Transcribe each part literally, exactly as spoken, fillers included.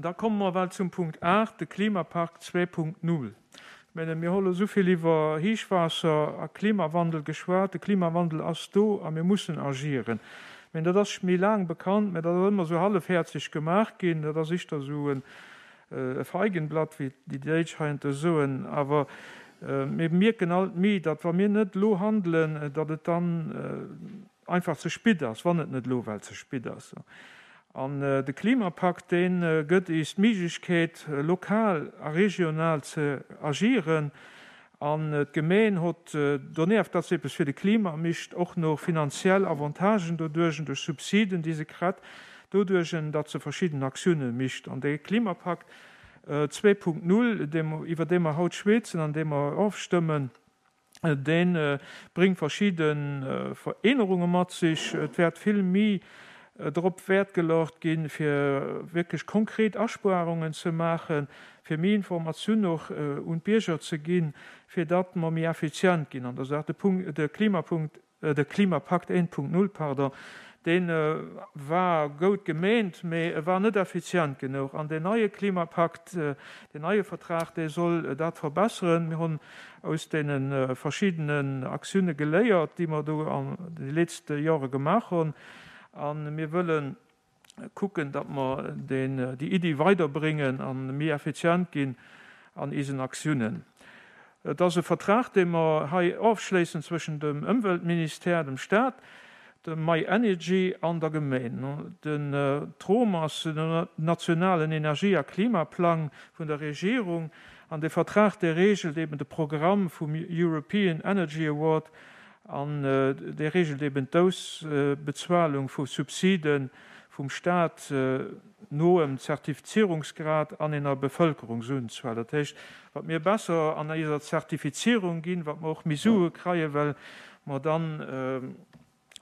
Da komme mer well zum Punkt aacht, de Klimapakt zwee Punkt null. Ech menge mir hu lo esou vill iwwer Héichwaasser a Klimawandel geschwat. De Klimawandel ass do a mir mussen agieren. Ech mengen, dat ass méi laang bekannt, mä dat ass ëmmer esou hallefhäerzeg gemaach ginn. Dat ass éischter esou e Feigenblatt, wéi déi Déitsch heiansdo soen. Awer mir mierken alt méi, datt wa mir net elo handelen, datt et dann einfach ze spit ass, wann et net elo well ze spit ass. An de Klimapakt, dee gëtt iis d'Méiglechkeet, lokal a regional ze agieren. An d'Gemeen hott donieft, datt se eppes fir de Klima micht, och no finanziell Avantagen doduerch, duerch Subsiden, déi se kritt, doduerch, datt se verschidden Aktiounen micht. An dee Klimapakt zwee Punkt null, iwwer dee mer haut schwätzen an dee mer ofstëmmen, dee bréngt verschidde Verännerunge mat sech. Et wäert vill méi drop Wäert geluecht ginn, fir wierklech konkret Aspuarungen ze maachen, fir méi Informatioun och un d'Bierger ze ginn, fir datt mer méi effizient ginn an der Saach. De Punkt, de Klimapunkt, de Klimapakt eent Punkt null, pardon, dee war goud gemeent, mee e war net effizient genuch. An deen neie Klimapakt, deen neie Vertrag, dee soll dat verbesseren. Mir hunn aus deene verschiddenen Aktioune geléiert, déi mer do an de letzte Jore gemaach hunn. A mir wëlle kucken, datt mer deen, déi Iddi weiderbréngen a méi effizient ginn an isen Aktiounen. Et ass e Vertrag, dee mer hei ofschléissen zwëschen dem Ëmweltministère, dem Staat, dem myenergy an der Gemeen. Den Trom ass den nationalen Energie- a Klimaplang vun der Regierung an de Vertrag, dee reegelt eben de Programm vum European Energy Award an dee reegelt eben d'Ausbezualung vu Subside vum Staat no em Zertifizierungsgrad an enger Bevëlkerungsunzuel. Dat heescht, wat mir besser an eiser Zertifizierung ginn, wat mer och méi Sue kreien, well mer dann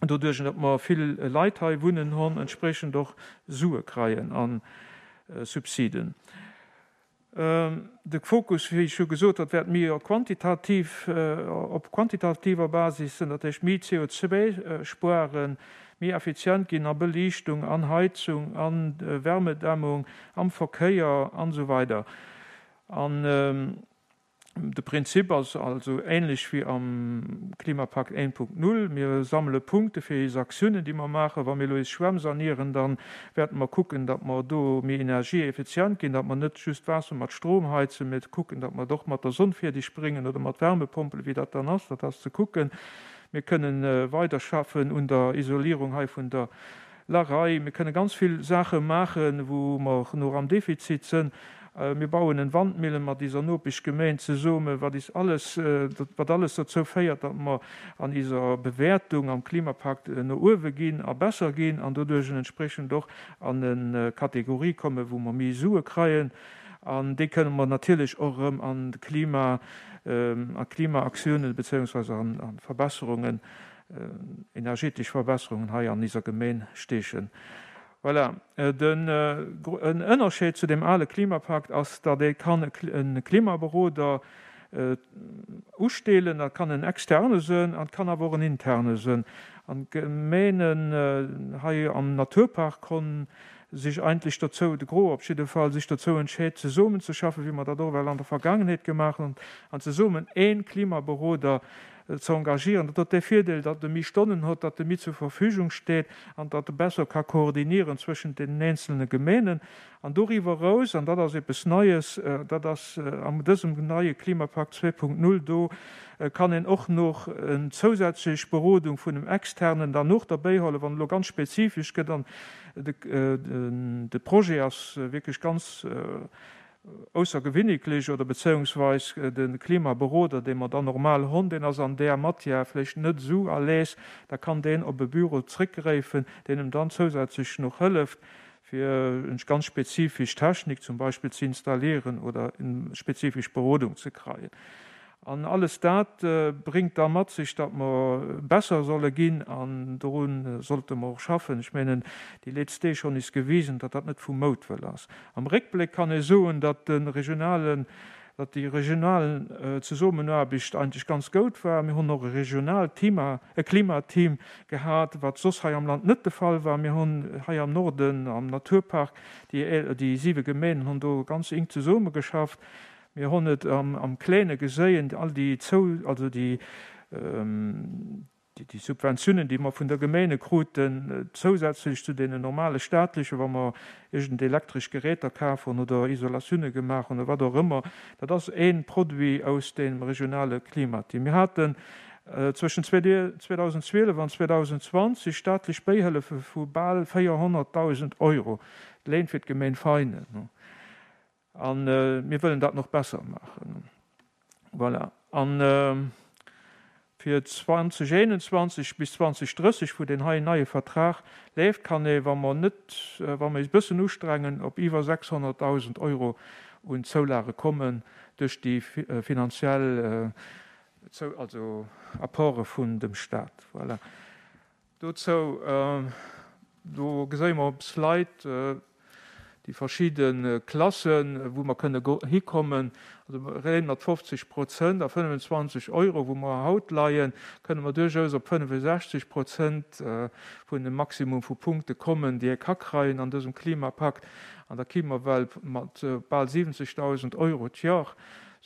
doduerch, datt mer vill Leit hei wunnen hunn, entsprechend och Sue kreien an Subsiden. De Fokus, wéi ech scho gesot hat, wäert méi quantitativ, op quantitativer Basis sinn, dat heescht méi C O zwei spueren, méi effizient ginn a Beliichtung, an Heizung, an Wärmedämmung, am Verkéier an esou weider. An de Prinzip ass also ähnlech wéi am Klimapakt eent Punkt null. Mir sammele Punkte fir eis Aktiounen, déi mer maachen. Wa mir elo eis Schwämm sanieren, dann wäerten mer kucken, datt mer do méi energieeffizient ginn, datt mer net just Waasser mat Strom heizen, mee kucken, datt mer doch mat der Sonn fäerdeg bréngen oder mat Wärmepompel, wéi dat dann ass, dat ass ze kucken. Mir kënnen weiderschaffen un der Isolierung hei vun der Larei. Mir kënnen ganz vill Sache maachen, wou mer noch am Defizit sinn. Mir bauen en Wandmillen mat dieser Nopeschgemeinde zusammen, wat is alles, wat alles dazu féiert, datt mer an dieser Bewertung am Klimapakt no uewe ginn a besser ginn an doduerch entsprechend och an eng Kategorie kommen, wou mer méi Sue kreien. An déi kënnen mer natierlech och erëm an Klima, a Klimaaktiounen beziehungsweise an, an Verbesserungen, energetisch Verbesserungen hei an dieser Gemeinde stechen. Voilà. Den en Ënnerscheed zu dem ale Klimapakt ass, datt ee kann e Klimaberoder ustellen, dat kann en externe sinn an kann awer och en interne sinn. An d'Gemeenen hei am Naturpark konn sich eigentlich dazu, de Gros op jidde Fall, sich dazu entscheet, zesummen ze schaffen, wéi mer dat och well an der Vergangenheet gemaach hunn, an zesummen een Klimaberoder ze engagieren. Dat huet de Virdeel, datt e méi Stonnen huet, datt e méi zur Verfügung steet an datt e besser ka koordinieren zwëschen den einzelnen Gemeenen. An doriwwer raus, an dat ass eppes Neues, dat ass an dësem neie Klimapakt zwei Punkt null do, kann een och noch eng zousätzlech Berodung vun dem Externen dann noch derbäi holen, wann lo ganz spezifisch gëtt an de, de, de Projet ass wirklich ganz aussergewöhnlich oder beziehungsweise den Klimaberoder, den man dann normal hunn, den ass an der Matière vielleicht net so à l'aise, da kann den op e Büro zurückgreifen, den ihm dann zusätzlich noch hilft, für eine ganz spezifische Technik zum Beispiel zu installieren oder eine spezifische Berodung zu kriegen. An alles dat bringt da mat sich, datt mer besser solle ginn an dorun sollte mer och schaffen. Ich meine, die letzte Deeg schon is gewiesen, datt dat net vum Moutwëll ass. Am Réckbléck kann ee soen, datt den regionalen datt déi regional Zesummenaarbecht eigentlech ganz goud war. Mir hunn och e regionaalt Team, e Klimateam gehat, wat soss hei am Land net de Fall war. Mir hunn hei am Norden am Naturpark, déi déi siwe Gemeenen hunn do ganz enk zesummegeschafft. Mir hunn et am am Kléine geséien, all déi zou, also déi, déi Subventiounen, déi mer vun der Gemeene kruten, zousätzlech zu deenen normale staatlechen, wa mer iergend elektresch Geräter kaf hunn oder Isolatioune gemaach hunn oder wat och ëmmer, dat ass ee Produit aus deem regionale Klimateam. Mir haten zwëschen zweedausendzwielef an zweedausendzwanzeg staatlech Bähëllefe vu bal véierhonnertdausend Euro, d'Léin fir d'Gemeen Veinen. A mir wëllen dat nach besser maachen. Voilà. An fir zweedausendeenundzwanzeg bis zweedausendrësseg, wou deen hei neie Vertrag leeft, kann ee, wa mer net, wa mer eis e bëssen ustrengen, op iwwer sechshonnertdausend Euro un Zoulage kommen duerch déi finanziell, also Apporte vun dem Stat. Voilà. Dozou, do geséie mer op Slide déi verschidde Klassen, wou mer kënne hikommen. Also réin mat fofzeg Prozent a fënnefenzwanzeg Euro, wou mer haut leien, kënne mer duerchaus op fënnefensechzeg Prozent vun dem Maximum vu Punkte kommen, déi ee ka kreien an dësem Klimapakt. An da ki mer well mat bal siwwenzegdausend Euro d'Jor,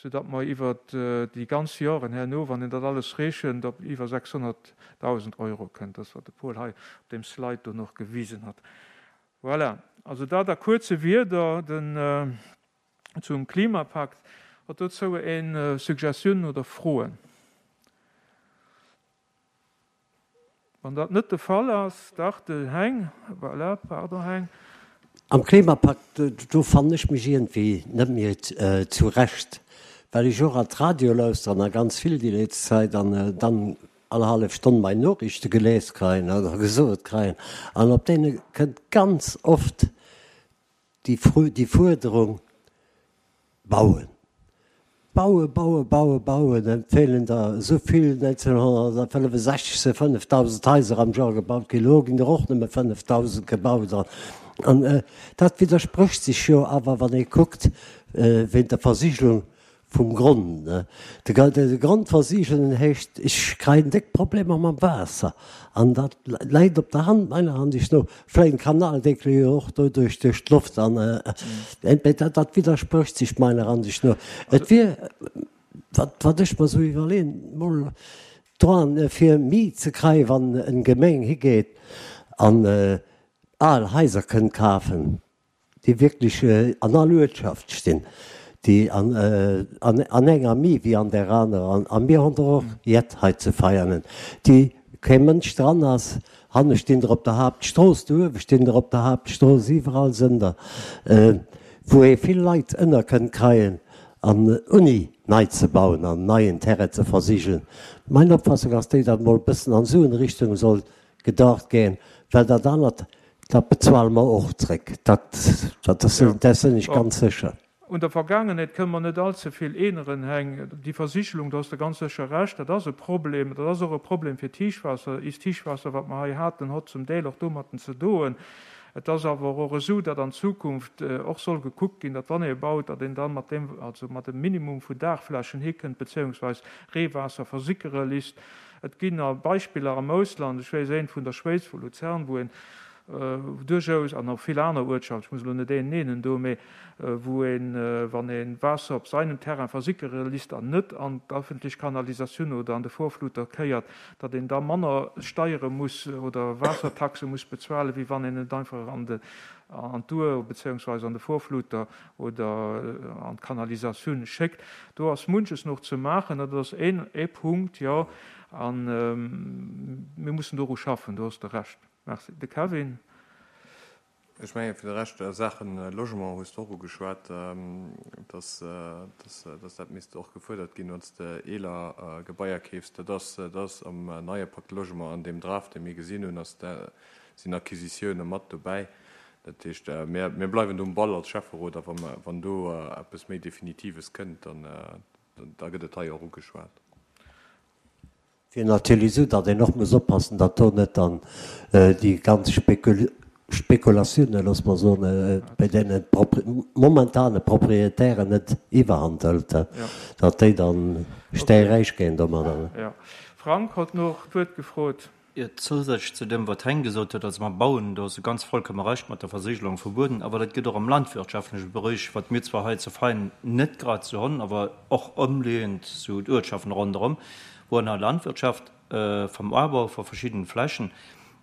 soudatt mer iwwert déi ganz Joren herno, wann een dat alles rechent, op iwwer sechshonnertdausend Euro kënnt. Dat, wat de Paul hei op deem Slide do nach gewisen hat. Voilà, also dat a kuerze Wierder den zum Klimapakt. Huet dozou een Suggestioun oder Froen? Wann dat net de Fall ass, dach de Heng, voilà, pardon Heng. Am Klimapakt, do fannen ech mech iergendwéi net méi zurecht, well ech och an d'Radio lauschteren a ganz vill déi létz Zäit an dann all hallef Stonn mei Noriichte gelies kreien oder gesot kreien an op deene kënnt ganz oft déi déi Fuerderung, bauen, bauen, bauen, bauen, bauen, et feelen der esou vill, neunzehnhunnertfënnefensechzeg si fënnefdausend Haiser am Joer gebaut ginn, elo ginn der och nëmme fënnefdausend gebaut an dat widdersprécht sech jo awer, wann ee kuckt wéint der Versigelung vum Grond. De Grond versigeln heescht, ech kréien déck Problemer mam Waasser. An dat läit op der Hand, meiner Ansicht no. Vläicht en Kanaldeckel jo och doduerch duerch d'Loft. An dat widdersprécht sech meiner Ansicht no. Et wier, wat wat ech mer esou iwwerleeën, mol dran fir méi ze kréien, wann en Gemeng higeet an al Haiser kënnt kafen, déi wierklech an all Uertschaft stinn, déi an an enger méi wéi an där anerer, a mir hunn der och jett hei ze Veianen, déi kee Mënsch dran ass. Hanne stinn der op der Haaptstrooss, do uewe stinn der op der Haaptstrooss, iwwerall sënn der, wou ee vill Leit ënner kënnt kreien an ouni nei ze bauen an neien Terrain ze versigelen. Mein Opfassung ass déi, datt mol e bëssen an esou en Richtung soll gedacht ginn, well dat anert, dat bezuele mer och zréck, dat, dat dat sinn ech ganz sécher. Un der Vergaangenheet kënne mer net allze vill änneren, Heng. Déi Versigelung, do has de ganz sécher Recht, dat ass e Problem. Dat ass och e Problem fir d'Héichwaasser. Iist Héichwaasser, wat mer hei haten, hott zum Deel och domatten ze doen. Et ass awer och esou, datt an Zukunft och soll gekuckt ginn, datt wann ee baut, datt een dann mat deem, also mat dem Minimum vu Daachflächen hikënnt, beziéungsweis Reewaasser versickere lisst. Et ginn a Beispiller am Ausland, ech weess eent vun der Schwéiz, vu Luzern, wou een duerchaus, an och vill aner Uertschaften, ech muss elo net een nennen do, mee wou een, wann ee Waasser op seinem Terrain versickere lisst an net an d'öffentlech Kanalisatioun oder an de Vorfluter kéiert, datt een da manner Steiere muss oder Waassertaxe muss bezuelen, wéi wann een et einfach an de, an d'Our beziéungsweis an de Vorfluter oder an d'Kanalisatioun schéckt. Do ass munches nach ze maachen. Dat ass een ee Punkt, jo, a mir mussen doru schaffen, do hues de Recht. Merci. De Kevin. Ech mengen, fir de Rescht a Saachen Logement hues de och ugeschwat, dass, dass, dass dat misst och gefuerdert ginn, wann s de eeler Gebaier keefs. Dat ass, dat ass am neie Pacte Logement, an deem Draft, dee mir gesinn hunn, ass, sinn Acquisitioune mat dobäi. Dat heescht, mir, mir bleiwen do um Ball als Schäfferot a wa mer, wann do eppes méi Definitives kënnt, dann, da gëtt et hei och ugeschwat. Wier natierlech esou, datt een och muss oppassen, datt do net dann déi ganz Spekulatioune, looss mer soen, bei deene momentane Proprietären net iwwerhand hëlt, datt déi dann stäiräich ginn domadder. Jo. Frank hott nach d'Wuert gefrot. Jo, zousätzlech zu deem, wat Heng gesot huet, also mam Bauen, do hues de ganz vollkomme Recht mat der Versigelung vum Bueden, awer dat gëtt och am landwirtschaftleche Beréich, wat mir zwar hei zu Vein net grad esou honn, awer och ëmleeënd sou d'Uertschaften ronderëm, wou an der Landwirtschaft vam Abau va verschiddenen Flächen,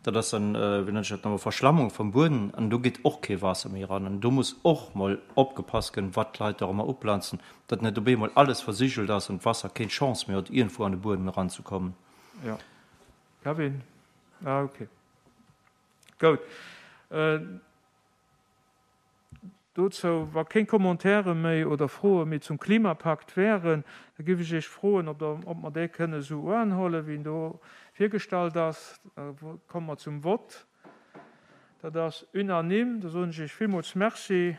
dat ass dann, wéi nennen ech dat nochmol, Verschlammung vum Bueden, an do geet och kee Waasser méi eran. An do muss och mol opgepasst ginn, wat d'Leit do ëmmer uplanzen, datt net op eemol alles versigelt ass an d'Wasser keen Chance méi huet, iergendwou an de Buedem eranzekommen. Jo. Kevin? Ah, okay. Goud. Dozou, wa kéng Commentaire méi oder Froe méi zum Klimapakt wären, da géif ech Iech froen, ob Der, ob mer dee kënne esou uanhuelen, wéi en do virgestallt ass. Da komme mer zum Vott. Dat ass unanime. Da soen ech Iech villmools Merci.